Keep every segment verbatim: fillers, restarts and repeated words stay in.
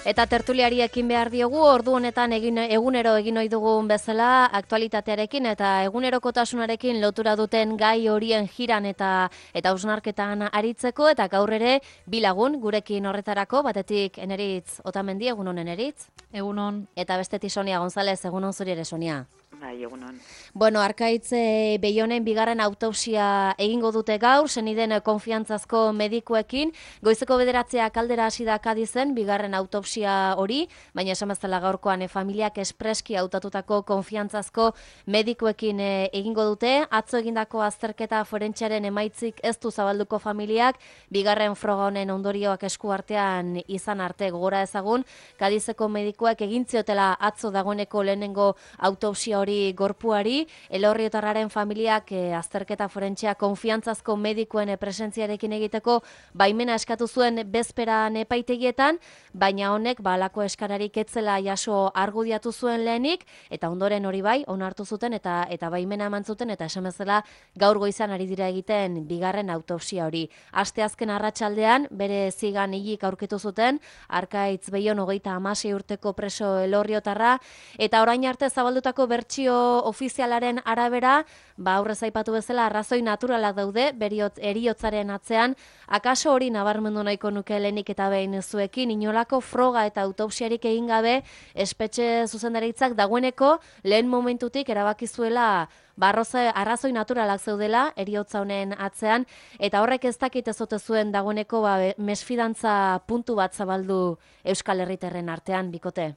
Eta tertuliari ekin behar diogu, ordu honetan egin, egunero egin ohi dugun bezala, aktualitatearekin eta egunerokotasunarekin lotura duten gai horien jiran eta eta hausnarketan aritzeko, eta gaur ere bi lagun gurekin horretarako, batetik Eneritz Otamendi, egunon Eneritz. Egunon. Eta bestetik Sonia González, egunon zuri ere, Sonia. Bai, egunon. Bueno, Arkaitz e, Beionen bigarren autopsia egingo dute gaur, seniden konfiantzazko medikuekin. Goizeko bederatzeak aldera hasi da Kadizen bigarren autopsia hori, baina esan bezala gaurkoan e, familiak espreski hautatutako konfiantzazko medikuekin e, egingo dute. Atzo egindako azterketa forentziaren emaitzik ez du zabalduko familiak, bigarren froga honen ondorioak esku artean izan arte gogora ezagun. Kadizeko medikuek egin ziotela atzo dagoeneko lehenengo autopsia hori gorpuari, Elorriotarraren familiak e, azterketa forentzia konfiantzazko medikuen e, presentziarekin egiteko baimena eskatu zuen bezperan epaitegietan, baina honek balako eskararik etzela jaso argudiatu zuen lehenik, eta ondoren hori bai, onartu zuten eta eta baimena eman zuten, eta esan bezala gaur goizan ari dira egiten bigarren autopsia hori. Asteazken arratsaldean bere zigan hilik aurkitu zuten, Arkaitz Beion hogeita hamasei urteko preso Elorriotarra, eta orain arte zabaldutako bertsio ofizialaren arabera, ba aurrez aipatu bezala arrazoi naturalak daude beriot heriotzaren atzean. Akaso hori nabarmendu nahiko nuke lehenik eta behin zuekin, inolako froga eta autopsiarik egin gabe espetxe zuzendaritzak dagoeneko lehen momentutik erabaki zuela barroza arrazoi naturalak zeudela heriotza honen atzean, eta horrek ez dakit ez ote zuen dagoeneko ba, mesfidantza puntu bat zabaldu Euskal Herritarren artean, bikote.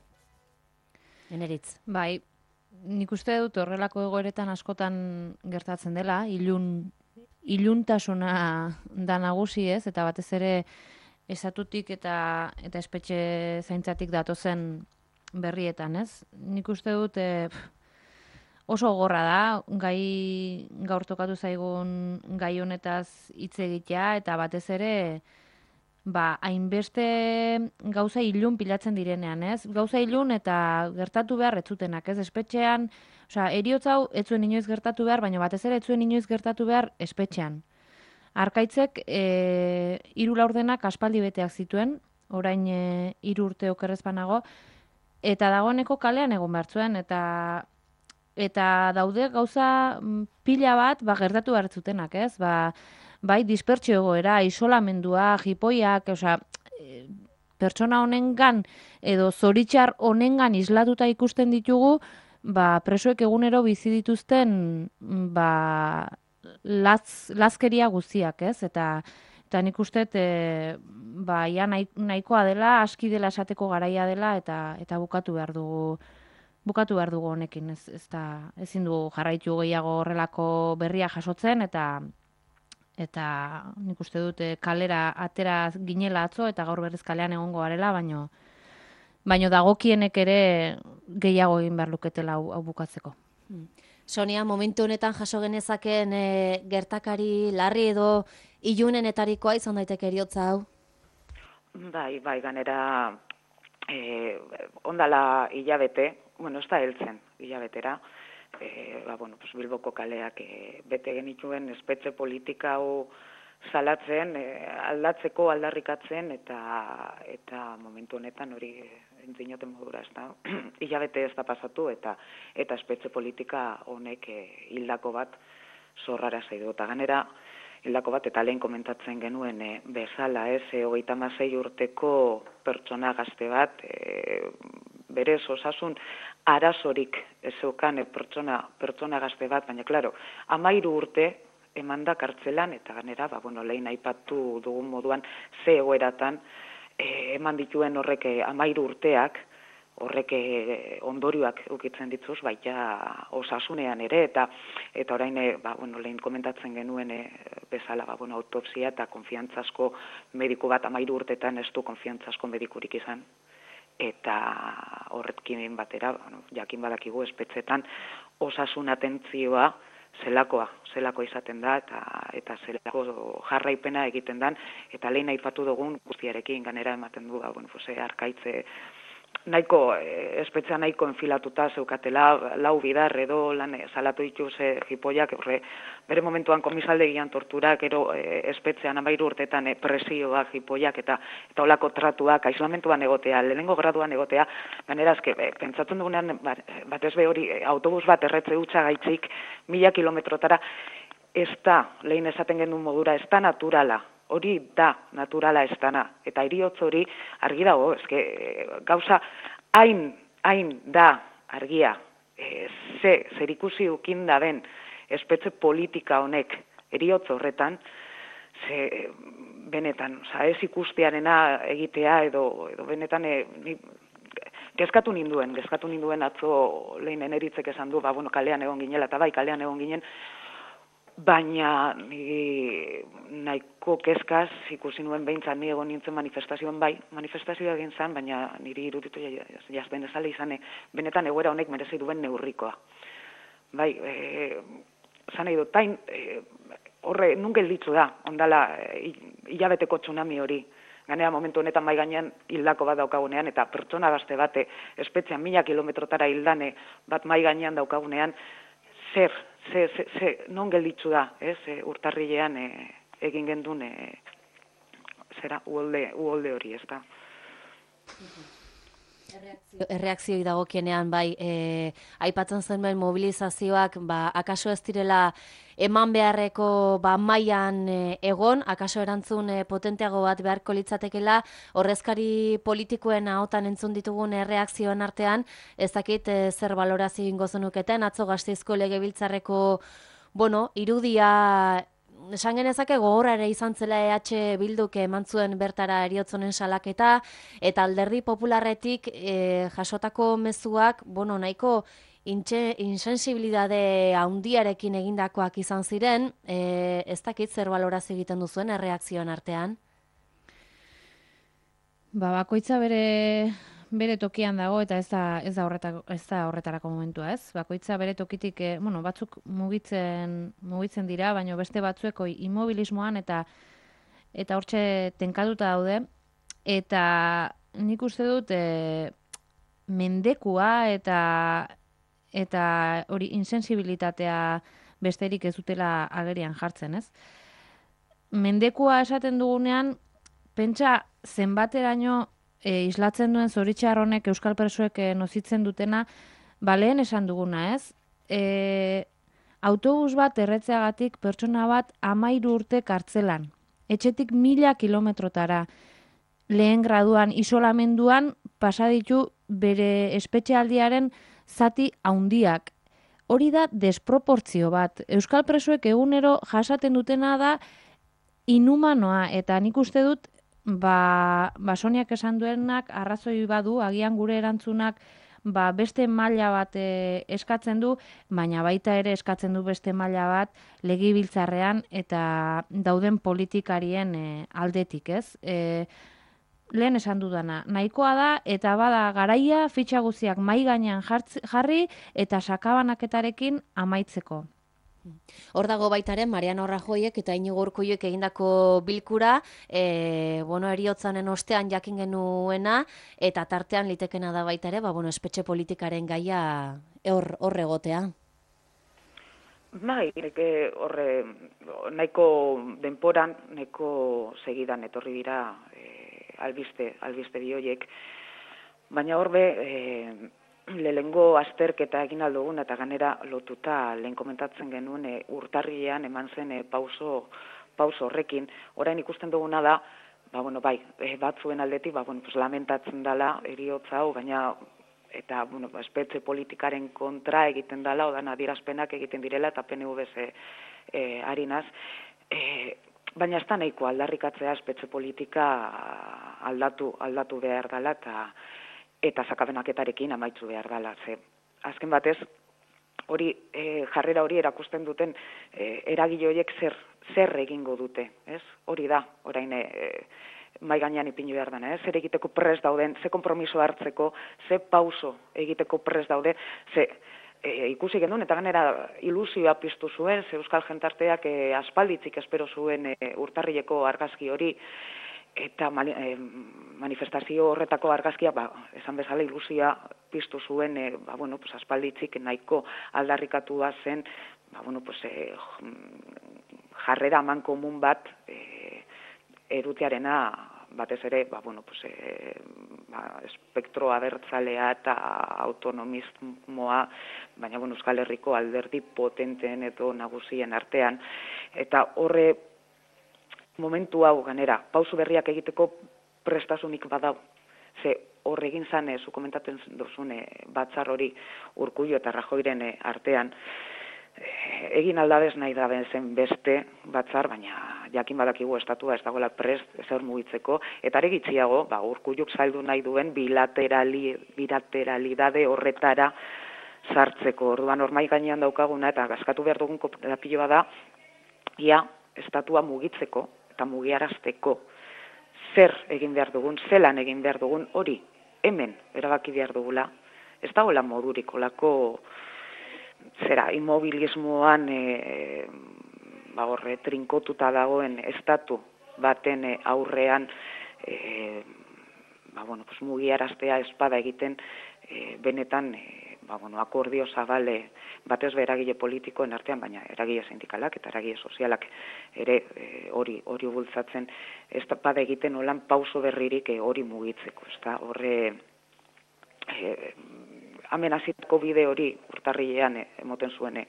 Eneritz. Bai, nik uste dut horrelako egoeretan askotan gertatzen dela, ilun, iluntasuna da nagusi ez, eta batez ere esatutik eta eta espetxe zaintzatik datozen berrietan ez. Nik uste dut e, oso gogorra da, gai gaur tokatu zaigun gai honetaz hitz egitea, eta batez ere ba, hainbeste gauza ilun pilatzen direnean, ez? Gauza ilun eta gertatu behar etzutenak, ez? Espetxean, osea, heriotza hau ez zuen inoiz gertatu behar, baina batez ere ez zuen inoiz gertatu behar espetxean. Arkaitzek e, hiru laurdenak aspaldi beteak zituen, orain e, hiru urte okerrezpanago, eta dagoeneko kalean egon behar zuen, eta eta daude gauza pila bat ba, gertatu behar zutenak, ez? Ba, bai, dispertsio egoera, isolamendua, jipoiak, osea, e, pertsona honengan edo zoritxar honengan islatuta ikusten ditugu, ba, presoek egunero bizi dituzten ba, latz, lazkeria guztiak, ez? Eta, eta nik uste, e, ba, ja nahikoa dela, aski dela esateko garaia dela, eta eta bukatu behar dugu bukatu behar dugu honekin, ez, ez da, ezin du jarraitu gehiago horrelako berria jasotzen, eta eta nik uste dute kalera atera ginela atzo, eta gaur berriz kalean egongo garela, baino, baino dagokienek ere gehiago egin behar luketela hau, hau bukatzeko. Sonia, momentu honetan jaso genezaken e, gertakari larri edo ilunenetarikoa izan daiteke heriotza hau? Bai, bai, ganera eh, ondala hilabete, bueno, ez da heltzen hilabetera, e, ba, bueno, pues Bilboko kaleak e, bete genituen espetxe politika hau salatzen, e, aldatzeko, aldarrikatzen, eta eta momentu honetan hori entzinoten modura, ez da, hilabete ez da pasatu, eta eta espetxe politika honek e, hildako bat zorrara zaidu. Eta ganera, hildako bat, eta lehen komentatzen genuen e, bezala, ez, e, hogeita hamasei urteko pertsona gazte bat, e, berez osasun arazorik ez zeukan e, pertsona, pertsona gazte bat, baina, klaro, hamairu urte eman da kartzelan, eta ganera, ba, bueno, lehen aipatu dugun moduan, ze egoeratan e, eman dituen horrek hamairu urteak, horrek ondorioak ukitzen dituz, baita osasunean ere, eta eta orain, e, ba, bueno, lehen komentatzen genuen e, bezala, ba, bueno, autopsia eta konfiantzazko mediku bat hamairu urtetan ez du konfiantzazko medikurik izan, eta horretkin batera, bueno, jakin badakigu espetxetan osasun atentzioa zelakoa, zelako izaten da, eta eta zelako jarraipena egiten dan, eta lehen aipatu dugun guztiarekin ganera ematen du, ba, bueno, pues, Arkaitze nahiko, eh, espetxea nahiko enfilatuta zeukatela, lau bidar edo lan eh, salatu ditu ze jipoiak, horre, bere momentuan komisaldegian torturak, ero eh, espetxean amairu urtetan eh, presioak, jipoiak eta eta olako tratuak, aislamentuan egotea, lehenengo graduan egotea, ganera azke, eh, pentsatzen dugunean, batez be hori, eh, autobus bat erretze hutsa gaitzik, mila kilometrotara, ez da, lehen esaten genuen modura, ez da naturala, hori da naturala ez dana, eta heriotz hori argi dago, eske gauza hain, hain da argia, e, ze, zer ikusi ukin da ben espetxe politika honek heriotz horretan, ze benetan, oza, ez ikustearena egitea edo, edo benetan e, ni, gezkatu ninduen, gezkatu ninduen atzo lehen eneritzek esan du, ba, bueno, kalean egon ginela, eta bai, kalean egon ginen, baina ni nahiko kezkaz ikusi nuen behintzat ni egon nintzen manifestazioan bai, manifestazioa egin zen, baina niri iruditu jazben ezale izan, benetan egoera honek merezi duen neurrikoa. Bai, e, zan nahi dut, tain, e, horre, nun gelditzu da, ondala, e, hilabeteko tsunami hori, ganea momentu honetan mai gainean hildako bat daukagunean, eta pertsona gazte bate, espetxean mila kilometrotara hildane bat mai gainean daukagunean, zer, ze, ze, ze, non gelditzu da, ez, e, urtarrilean e, egin gendun, e, zera, uholde, uholde hori, ez da. Erreakzioi dagokienean, bai, e, aipatzen zenuen mobilizazioak, ba, akaso ez direla eman beharreko ba, mailan e, egon, akaso erantzun e, potenteago bat beharko litzatekela, horrezkari politikoen ahotan entzun ditugun erreakzioen artean, ez dakit e, zer balorazio egingo zenuketen, atzo Gasteizko Legebiltzarreko, bueno, irudia esan genezake gogorra ere izan zela E H Bilduk eman zuen bertara heriotzonen salaketa, eta Alderdi Popularretik e, jasotako mezuak, bueno, nahiko insensibilidade handiarekin egindakoak izan ziren, e, ez dakit zer balorazio egiten duzuen erreakzioen artean? Ba, bakoitza bere bere tokian dago eta ez da ez da horretako ez da horretarako momentua, ez? Bakoitza bere tokitik, eh, bueno, batzuk mugitzen mugitzen dira, baina beste batzuek immobilismoan eta eta hortxe tenkatuta daude, eta nik uste dut e, mendekua eta eta hori insensibilitatea besterik ez dutela agerian jartzen, ez? Mendekua esaten dugunean, pentsa zenbateraino e, islatzen duen zoritxar honek euskal presoek e, nozitzen dutena, ba lehen esan duguna, ez? E, autobus bat erretzeagatik pertsona bat amairu urte kartzelan. Etxetik mila kilometrotara. Lehen graduan isolamenduan pasaditu bere espetxealdiaren zati haundiak. Hori da desproportzio bat. Euskal presoek egunero jasaten dutena da inhumanoa, eta nik uste dut ba, ba Soniak esan duenak arrazoi badu, agian gure erantzunak ba, beste maila bat e, eskatzen du, baina baita ere eskatzen du beste maila bat legebiltzarrean eta dauden politikarien e, aldetik, ez? E, lehen esan dudana, nahikoa da eta bada garaia fitxa guztiak mahai gainean jarri eta sakabanaketarekin amaitzeko. Hor dago baitaren Mariano Rajoyek eta Iñigo Urkulluk egindako bilkura, e, bueno, eriotzanen ostean jakin genuena, eta tartean litekena da baitare, ba, bueno, espetxe politikaren gaia hor, hor egotea. Bai, neke horre nahiko denporan, nahiko segidan etorri dira e, albiste, albiste bioiek, baina horbe e, lehengo azterketa egin aldugun eta ganera lotuta lehen komentatzen genuen e, urtarrilean eman zen e, pauso, pauso horrekin. Orain ikusten duguna da, ba, bueno, bai, e, batzuen aldetik, ba, bueno, pues, lamentatzen dela eriotza hau, baina eta bueno, espetxe politikaren kontra egiten dela, odan adierazpenak egiten direla eta P N V ze e, harinaz. E, baina ez da nahiko aldarrikatzea espetxe politika aldatu, aldatu behar dela eta eta sakabenaketarekin amaitu behar dela. Ze, azken batez, hori e, jarrera hori erakusten duten e, eragile horiek zer, zer egingo dute, ez? Hori da, orain e, mai gainean ipini behar dena, zer egiteko prest dauden, ze konpromiso hartzeko, ze pauso egiteko prest daude, ze e, ikusi genuen, eta ganera ilusioa piztu zuen, ze euskal jentarteak e, aspalditzik espero zuen e, urtarrileko argazki hori, eta manifestazio horretako argazkia, ba, esan bezala ilusia piztu zuen, e, ba, bueno, pues, aspalditzik nahiko aldarrikatua zen, ba, bueno, pues, e, jarrera aman komun bat e, erutiarena batez ere, ba, bueno, pues, e, ba, espektro abertzalea eta autonomismoa, baina bueno, Euskal Herriko alderdi potenteen edo nagusien artean, eta horre momentu hau ganera, pausu berriak egiteko prestasunik badau. Ze hor egin zane, zu komentatzen duzune batzar hori Urkullu eta Rajoyren artean, egin aldabez nahi da zen beste batzar, baina jakin badakigu estatua ez dagoela prest ezer mugitzeko, eta are gitxiago, ba, Urkulluk zaildu nahi duen bilaterali, bilateralidade horretara sartzeko. Orduan hor mahai gainean daukaguna eta gaskatu behar dugun kooperatiboa da, ia estatua mugitzeko eta mugiarazteko zer egin behar dugun, zelan egin behar dugun, hori hemen erabaki behar dugula. Ez dagoela modurik olako zera, immobilismoan e, ba horre, trinkotuta dagoen estatu baten e, aurrean e, ba, bueno, pues, mugiaraztea espada egiten e, benetan e, ba, bueno, akordio zabale batez be eragile politikoen artean, baina eragile sindikalak eta eragile sozialak ere hori e, hori bultzatzen espada egiten olan pauso berririk e, hori mugitzeko, ezta horre e, hemen hasitako bide hori urtarrilean emoten zuen e,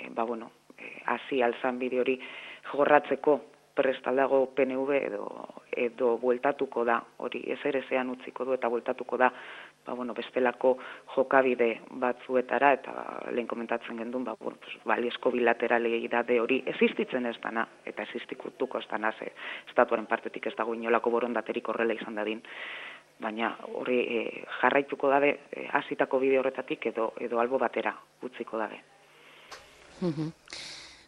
ba bueno, e, hasi alzan bide hori jorratzeko prestaldago P N V edo edo bueltatuko da, hori ezer ezean utziko du eta bueltatuko da, ba bueno, bestelako jokabide batzuetara eta lehen komentatzen gendun, ba bueno, pues balizko bilateralidade hori existitzen ez dana eta existituko ez dana, ze estatuaren partetik ez dago inolako borondaterik horrela izan dadin. Baina hori e, jarraituko dabe e, hasitako bide horretatik edo edo albo batera utziko dabe. Mhm.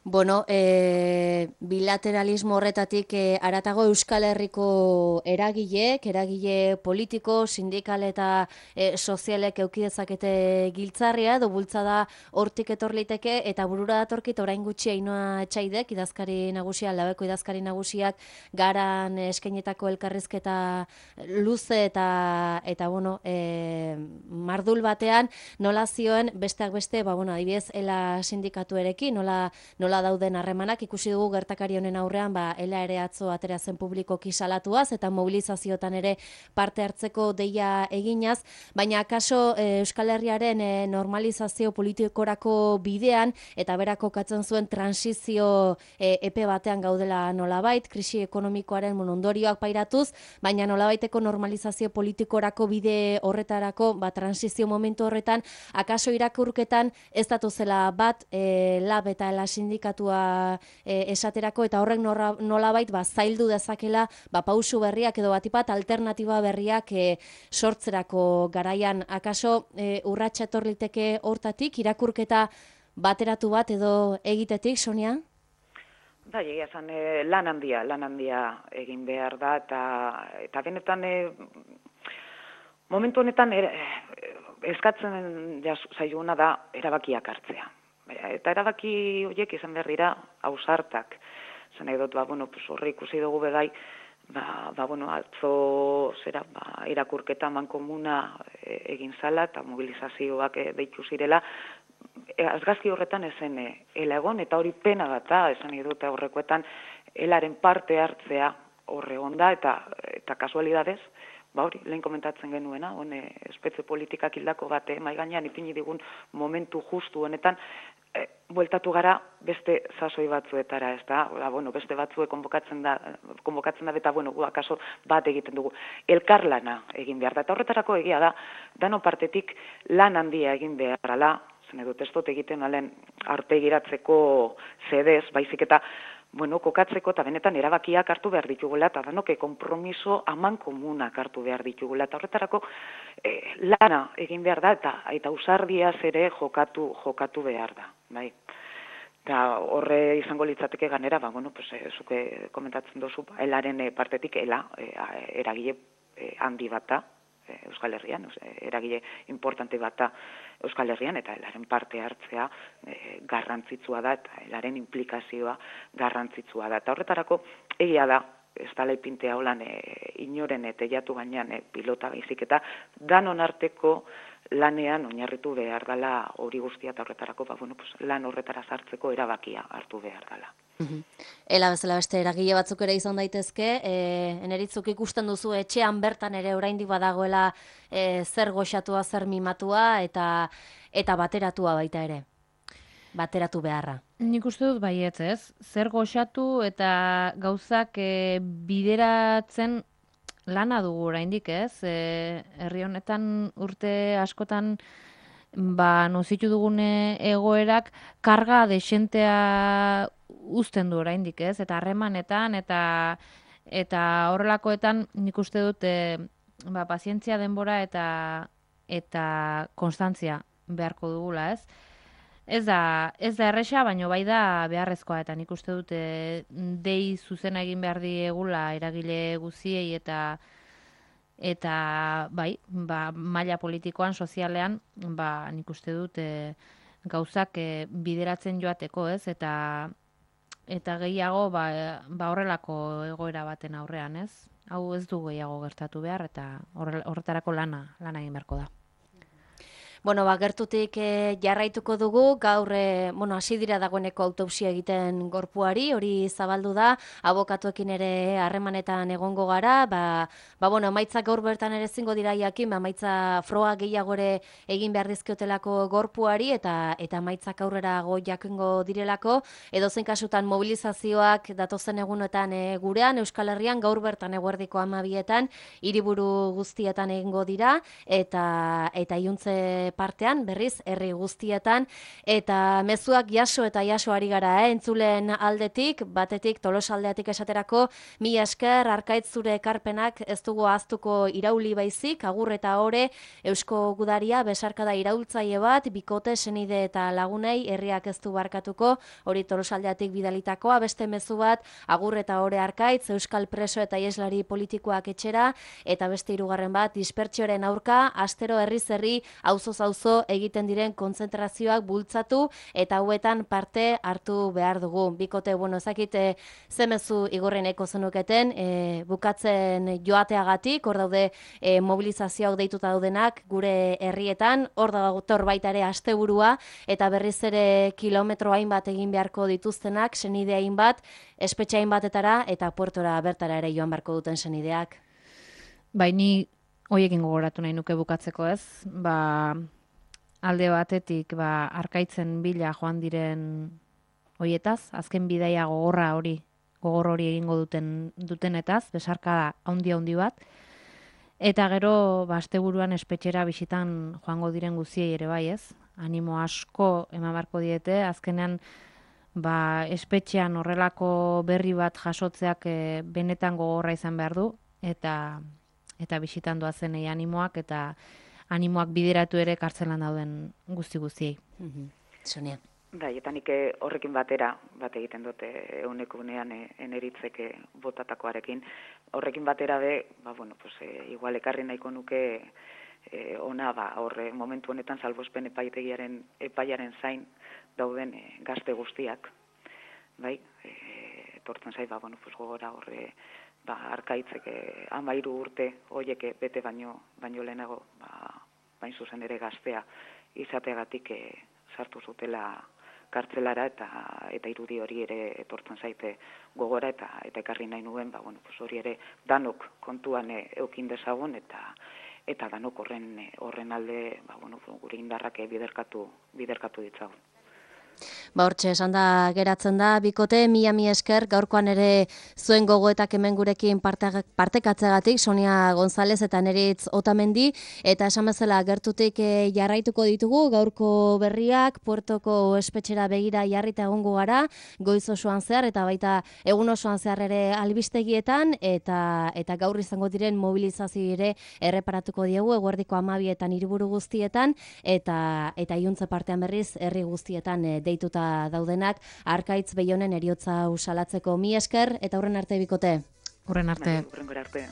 Bueno, e, bilateralismo horretatik e, aratago Euskal Herriko eragileek, eragile politiko, sindikal eta e, sozialek eukidezakete giltzarria, edo bultzada hortik etorliteke, eta burura datorkit orain gutxi Ainhoa Etxaidek, idazkari nagusia, Labeko idazkari nagusiak, garan eskainetako elkarrizketa luze eta, eta bueno, e, mardul batean, nola zioen besteak beste, ba, bueno, adibidez, ela sindikatuerekin, nola, nola dauden harremanak, ikusi dugu gertakari honen aurrean, ba, ela ere atzo atera zen publikoki salatuaz eta mobilizazioetan ere parte hartzeko deia eginaz, baina akaso e, Euskal Herriaren e, normalizazio politikorako bidean eta berako katzen zuen transizio e, epe batean gaudela nolabait, krisi ekonomikoaren ondorioak pairatuz, baina nolabaiteko normalizazio politikorako bide horretarako, ba, transizio momentu horretan, akaso irakurketan ez datuzela bat e, lab eta ela sindikatua E, esaterako eta horrek nolabait ba, zaildu dezakela ba, pausu berriak edo batipat alternatiba berriak e, sortzerako garaian. Akaso e, urratsa etorliteke hortatik, irakurketa bateratu bat edo egitetik, Sonia? Bai, egia esan e, lan handia, lan handia egin behar da eta, eta benetan e, momentu honetan e, eskatzen zaiguna da erabakiak hartzea. Eta erabaki horiek izan behar dira ausartak. Zan nahi dut, ba, bueno, pues horre ikusi dugu begai, ba, ba, bueno, atzo zera, ba, irakurketa mankomuna egin zala eta mobilizazioak deitu zirela, azgazki horretan ezen ela egon, eta hori pena bat da, esan nahi dut horrekoetan, elaren parte hartzea horre onda, eta, eta kasualidadez, ba hori, lehen komentatzen genuena, hone espetze politikak hildako bat, eh, mai gainean ipini digun momentu justu honetan, eh, bueltatu gara beste sasoi batzuetara, ez da, ba, bueno, beste batzue konbokatzen da, konbokatzen da, eta bueno, gu akaso bat egiten dugu, elkarlana egin behar da, eta horretarako egia da, dano partetik lan handia egin beharrala, zen edo testot egiten alen arpegiratzeko zedez, baizik eta bueno, kokatzeko eta benetan erabakiak hartu behar ditugula, eta danoke konpromiso aman komunak hartu behar ditugula, eta horretarako eh, lana egin behar da, eta, eta usardiaz ere jokatu, jokatu behar da. Bai. Eta horre izango litzateke ganera, ba, bueno, pues, eh, zuke komentatzen duzu, elaren partetik, ela, eh, eragile eh, handi bat da, Euskal Herrian, eragile importante bat da Euskal Herrian, eta elaren parte hartzea e, garrantzitsua da, eta elaren implikazioa garrantzitsua da. Eta horretarako egia da, ez dala ipintea holan e, inoren e, teiatu gainean e, pilota baizik eta danon arteko lanean oinarritu behar dela hori guztia eta horretarako, ba, bueno, pues, lan horretara sartzeko erabakia hartu behar dela. Ela bezala beste eragile batzuk ere izan daitezke, e, eneritzuk ikusten duzu etxean bertan ere oraindik badagoela e, zer goxatua, zer mimatua eta eta bateratua baita ere. Bateratu beharra. Nik uste dut baietz, ez? Zer goxatu eta gauzak e, bideratzen lana dugu oraindik, ez? E, herri honetan urte askotan ba nozitu dugune egoerak karga desentea uzten du oraindik, ez? Eta harremanetan eta eta horrelakoetan nik uste dut e, ba pazientzia, denbora eta eta konstantzia beharko dugula, ez? Ez da, ez da erresa, baina bai da beharrezkoa, eta nik uste dut e, dei zuzena egin behar diegula eragile guziei eta eta bai, ba, maila politikoan, sozialean, ba, nik uste dut e, gauzak e, bideratzen joateko, ez? Eta eta gehiago ba, ba horrelako egoera baten aurrean, ez? Hau ez du gehiago gertatu behar, eta horretarako lana, lana egin beharko da. Bueno, ba, gertutik e, jarraituko dugu, gaur, e, bueno, hasi dira dagoeneko autopsia egiten gorpuari, hori zabaldu da, abokatuekin ere harremanetan egongo gara, ba, ba bueno, emaitzak gaur bertan ere zingo dira jakin, ba, emaitza froga gehiago ere egin behar dizkiotelako gorpuari, eta eta emaitzak aurrera go jakingo direlako, edozein kasutan mobilizazioak datozen egunetan e, gurean, Euskal Herrian, gaur bertan eguerdiko hamabietan, hiriburu guztietan egingo dira, eta eta iuntze partean, berriz, herri guztietan, eta mezuak jaso eta jaso ari gara, eh? Entzulen aldetik, batetik, Tolosaldeatik esaterako, mila esker, Arkaitz zure ekarpenak ez dugu ahaztuko irauli baizik, agur eta ore, Eusko Gudaria, besarkada iraultzaile bat, bikote, senide eta lagunei, herriak ez du barkatuko, hori Tolosaldeatik bidalitakoa, beste mezu bat, agur eta ore Arkaitz, Euskal preso eta ieslari politikoak etxera, eta beste hirugarren bat, dispertsioaren aurka, astero herriz herri, auzoz auzo egiten diren kontzentrazioak bultzatu eta hauetan parte hartu behar dugu. Bikote, bueno, ezakite zemezu igorreneko zenuketen, e, bukatzen joateagatik, hor daude e, mobilizazioak deituta daudenak gure herrietan, hor dago baita ere asteburua eta berriz ere kilometro hainbat egin beharko dituztenak, senide hainbat, espetxe hainbatetara eta puertora bertara ere joan beharko duten senideak. Baini hoiekin gogoratu nahi nuke bukatzeko, ez? Ba, alde batetik ba, Arkaitzen bila joan diren hoietaz, azken bidaia gogorra hori, gogor hori egingo duten dutenetaz, besarkada handi handi bat, eta gero ba, asteburuan espetxera bisitan joango diren guziei ere bai, ez? Animo asko eman beharko diete, azkenean ba, espetxean horrelako berri bat jasotzeak e, benetan gogorra izan behar du, eta eta bisitan doazenei animoak, eta animoak bideratu ere kartzelan dauden guzti guztiei. Mm-hmm. Sonia. Bai, eta nik horrekin batera, bat egiten dute euneko unean eneritzeke botatakoarekin, horrekin batera be, ba, bueno, pues, e, igual ekarri nahiko nuke e, ona, ba, horre, momentu honetan salbuespen epaitegiaren, epaiaren zain dauden e, gazte guztiak, bai, e, etortzen zait, ba, bueno, pues, gogora horre, ba, Arkaitzek hamairu urte hoieke bete baino baino lehenago, ba, bain zuzen ere gaztea izateagatik e, sartu zutela kartzelara eta eta irudi hori ere etortzen zaite gogora eta eta ekarri nahi nuen, ba, bueno, pues hori ere danok kontuan e, eukin dezagun eta eta danok horren horren alde, ba, bueno, gure indarrak biderkatu biderkatu ditzagun. Ba, hortxe, esan da geratzen da, bikote, mila mi esker, gaurkoan ere zuen gogoetak hemen gurekin parte, partekatzegatik, Sonia González eta Neritz Otamendi, eta esan bezala gertutik e, jarraituko ditugu, gaurko berriak, Puertoko espetxera begira jarrita egongo gara, goiz osoan zehar, eta baita egun osoan zehar ere albistegietan, eta eta gaur izango diren mobilizazio ere erreparatuko diegu, eguerdiko hamabietan hiriburu guztietan, eta eta iuntze partean berriz, herri guztietan e, deituta daudenak, Arkaitz Beionen eriotza usalatzeko. Mi esker, eta hurren arte bikote. Hurren arte. Hurren arte.